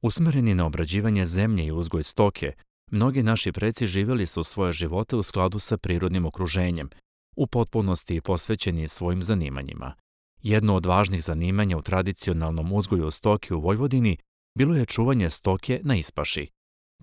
Usmereni na obrađivanje zemlje i uzgoj stoke, mnogi naši preci živjeli su svoje živote u skladu sa prirodnim okruženjem, u potpunosti posvećeni svojim zanimanjima. Jedno od važnih zanimanja u tradicionalnom uzgoju stoke u Vojvodini bilo je čuvanje stoke na ispaši.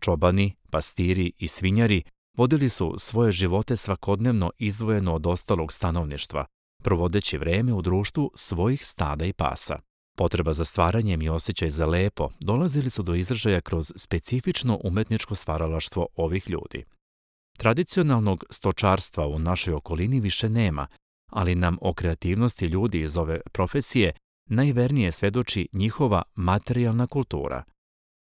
Čobani, pastiri i svinjari vodili su svoje živote svakodnevno izdvojeno od ostalog stanovništva, provodeći vreme u društvu svojih stada i pasa. Potreba za stvaranjem i osjećaj za lepo dolazili su do izražaja kroz specifično umetničko stvaralaštvo ovih ljudi. Tradicionalnog stočarstva u našoj okolini više nema, ali nam o kreativnosti ljudi iz ove profesije najvernije svedoči njihova materijalna kultura.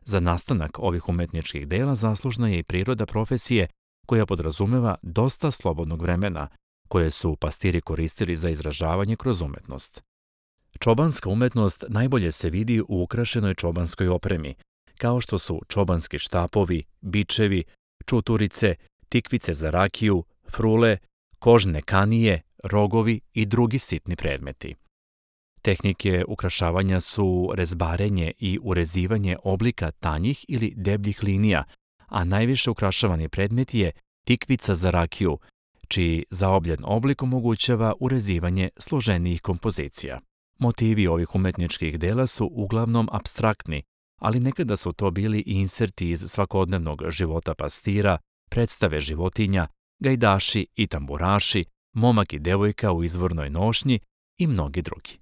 Za nastanak ovih umetničkih dela zaslužna je i priroda profesije koja podrazumeva dosta slobodnog vremena, koje su pastiri koristili za izražavanje kroz umetnost. Čobanska umetnost najbolje se vidi u ukrašenoj čobanskoj opremi, kao što su čobanski štapovi, bičevi, čuturice, tikvice za rakiju, frule, kožne kanije, rogovi i drugi sitni predmeti. Tehnike ukrašavanja su rezbarenje i urezivanje oblika tanjih ili debljih linija, a najviše ukrašavani predmet je tikvica za rakiju, čiji zaobljen oblik omogućava urezivanje složenijih kompozicija. Motivi ovih umetničkih dela su uglavnom apstraktni, ali nekada su to bili i inserti iz svakodnevnog života pastira, predstave životinja, gajdaši i tamburaši, momak i devojka u izvornoj nošnji i mnogi drugi.